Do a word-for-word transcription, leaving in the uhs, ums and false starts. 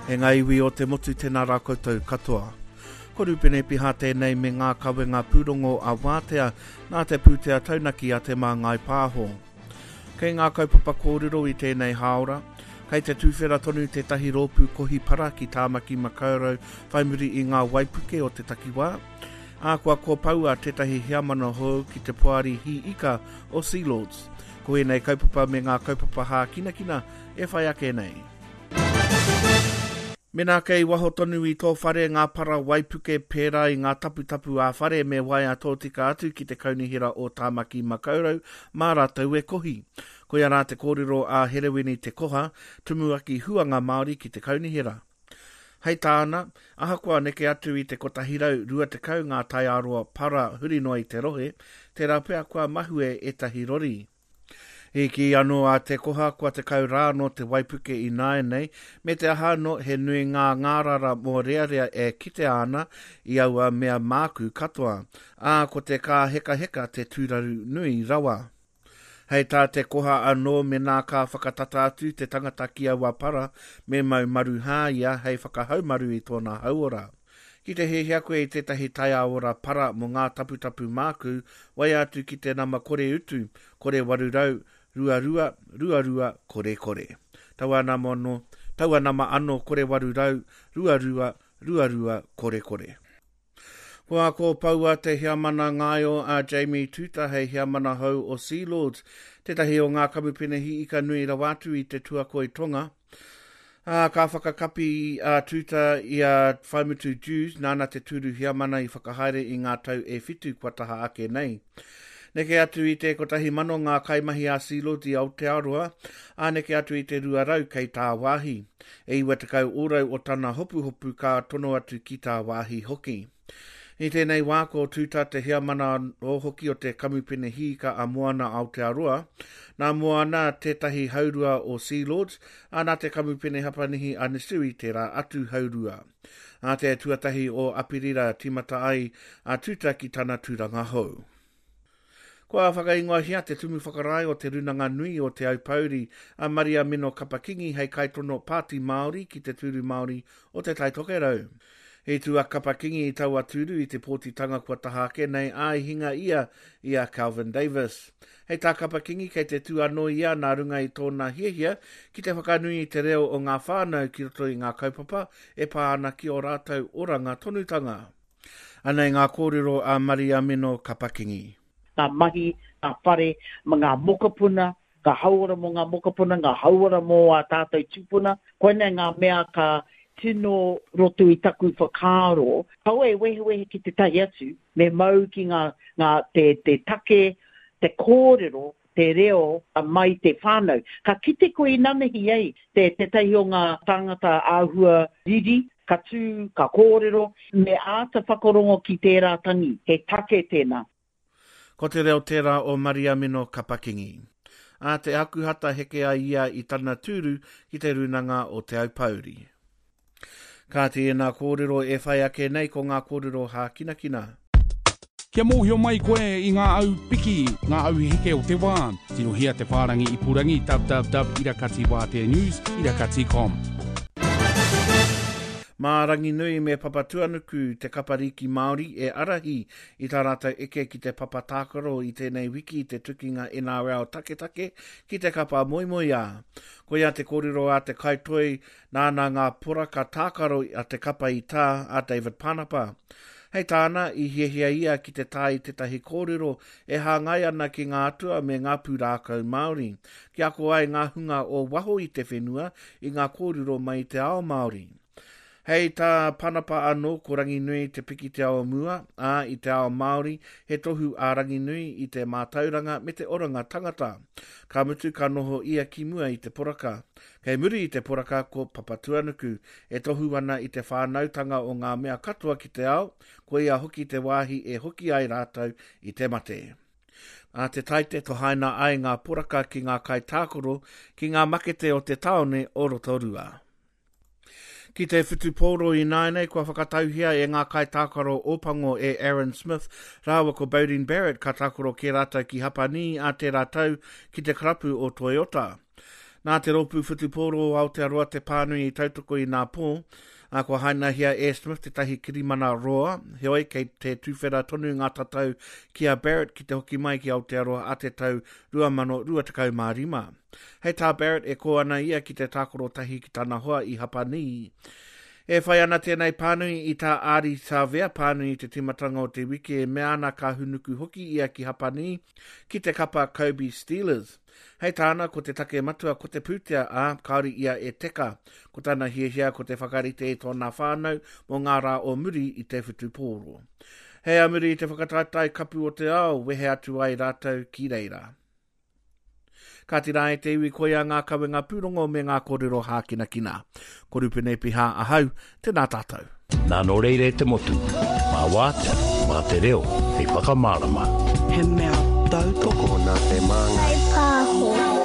E ngā iwi o te motu tēnā rā koutou katoa. Ko Rupene Piha tēnei me ngā kawenga pūrongo a Wātea nā te pūtea taunaki a Te Māngai Pāho. Kei ngā kaupapa kōrero i tēnei hāora, kei te tūwhera tonu tētahi rōpū kohi para ki Tāmaki Makaurau whai muri i ngā waipuke o te takiwā, ā kua kōpaua tētahi heamana hou ki te poari hī ika o Sealords. Ko ēnei kaupapa me ngā kaupapa hākinakina e whai ake nei. Mena kei waho tonu i tō whare ngā para waipuke pērā i ngā taputapu ā-whare me waea tōtika atu ki te kaunihera o Tāmaki Makaurau mā rātou e kohi. Koia rā te kōrero a Herewini Te Koha, tumuaki huanga Māori ki te kaunihera. Hei tāna, ahakoa neke atu i te kotahi rau rua tekau ngā taiaroa para huri noa i te rohe, tērā pea kua mahue ētahi rori. I kī anō a Te Koha kua tekau rā nō te waipuke i nāianei, me te aha anō he nui ngā ngārara mōrearea e kitea ana i aua mea māku katoa, ā, ko te kāhekaheka te tūraru nui rawa. Hei tā Te Koha anō menā ka whakatata atu te tangata ki aua para, me mau maruhā ia hei whakahaumaru i tōna hauora. Ki te hiahia koe i tētahi taiaora para mō ngā taputapu māku, waea atu ki te nama kore utu, kore waru rau, rua rua, rua rua, kore kore. Taua nama anō, taua nama anō kore waru rau, rua rua, rua rua, kore kore. Kua kōpaua te heamana ngaio a Jamie Tuuta hei heamana hou o Sealords, tētahi o ngā kamupene hiika nui rawa atu i te tuakoi tonga. Ā, ka whakakapi a Tuuta i a Whaimutu Dewes, nāna te tūru heamana i whakahaere i ngā tau e whitu kua taha ake nei. Neke atu i te kotahi mano ngā kaimahi a Sealords i Aotearoa, ā neke atu i te rua rau kei tāwāhi. E iwa tekau ōrau o tana hopuhopu ka tono atu ki tāwāhi hoki. I tēnei wā ko Tuuta te heamana anō hoki o te kamupene hiika a Moana Aotearoa. Nā Moana tētahi haurua o Sealords, ā nā te kamupene Hapanihi a Nissui tērā atu haurua. Ā te tuatahi o Apirira tīmata ai a Tuuta ki tana tūranga hou. Kua whakaingoahia te tumu whakarae o te Runanga Nui o Te Aupōuri a Maria Mino Kapa-Kingi hei kaitono Pāti Māori ki te tūru Māori o Te Tai Tokerau. I tū a Kapa-Kingi i taua tūru i te pōtitanga kua taha ake nei, ā i hinga ia i a Kelvin Davis. Hei tā Kapa-Kingi kei te tū anō ia nā runga i tōna hiahia ki te whakanui i te reo o ngā whānau ki roto i ngā kaupapa e pā ana ki ō rātou oranga tonutanga. Anei ngā kōrero a Maria Mino Kapa-Kingi. Ngā mahi, ngā whare, ngā mokopuna, ngā hauora mō ngā mokopuna, ngā hauora mō ā tātou tūpuna. Koinei ngā mea ka tino roto i taku whakaaro. Kaua e wehewehe ki te tahi atu, me mau ki ngā, ngā, te, te take, te kōrero, te reo mai te whānau. Ka kite koe i nanahi ai te, tētahi o ngā tāngata āhua riri, ka tū, ka kōrero, me āta whakarongo ki tērā tangi, he take tēnā. Ko te reo tērā o Maria Mino Kapa-Kingi. Ā te Akuhata heke ai ia i tana tūru ki te Runanga o Te Aupōuri. Kāti ēnā kōrero e whai ake nei ko ngā kōrero hākinakina. Kia mōhio mai koe i ngā au piki, ngā au heke o te wā, tirohia te whārangi ipurangi www irakati wātea news irakati com. Mā Ranginui me Papatuanuku te kapa rīki Māori e arahi i tā rātou eke ki te papa tākaro i tēnei wiki i te tukinga N R L taketake ki te kapa moemoeā. Koia te kōrero a te kaitoi nāna ngā poraka tākaro a te kapa i tā a David Panapa. Hei tāna, i hiahia ia ki te tā i tētahi kōrero e hāngai ana ki ngā atua me ngā pūrākau Māori, kia ako ai ngā hunga o waho i te whenua i ngā kōrero mai i te ao Māori. Hei tā Panapa anō ko Ranginui te pikitia o mua, ā, i te ao Māori, he tohu a Ranginui i te mātauranga me te oranga tangata. Ka mutu ka noho ia ki mua i te poraka. Kei muri i te poraka ko Papatuanuku, e tohu ana i te whānautanga o ngā mea katoa ki te ao, ko ia hoki te wāhi e hoki ai rātou i te mate. A te taite tohaina ai ngā poraka ki ngā kaitākaro ki ngā makete o te taone o Rotorua. Ki te whutupōro i nāianei kua whakatauhia e ngā kaitākaro Ōpango e Aaron Smith rāua ko Beauden Barrett ka tākaro kē rātou ki Hapanī a tērā tau ki te karapu o Toyota. Nā te rōpū whutupōro o Aotearoa te pānui i tautoko i nā pō, a kua hainahia e Smith tētahi kirimana roa, heoi kei te tuwhera tonu ngā tatau ki a Barrett ki te hoki mai ki Aotearoa a te tau rua mano rua tekau mā rima. Hei tā Barrett e kō ana ia ki te tākaro tahi ki tana hoa i Hapanī. E whai ana tēnei pānui i tā Ardie Savea pānui i te timatanga o te wiki e mea ana ka hunuku hoki ia ki Hapanī ki te kapa Kobe Steelers. Hei tāna ko te take matua ko te pūtea a kāore ia e teka. Ko tana hiahia ko te whakarite i tōna whānau mō ngā rā o muri i te whutupōro. Hei a muri i te whakataetae kapu o te ao, wehe atu ai rātou ki reira. Ka tira e te iwi koia ngā kawenga pūrongo me ngā kōrero hākinakina. Ko Rupene Piha ahau, tēnā tātou. Nā nō reira e te motu, mā wātea, mā te reo, hei whakamārama. He mea tautoko nā te māngai. Pāho.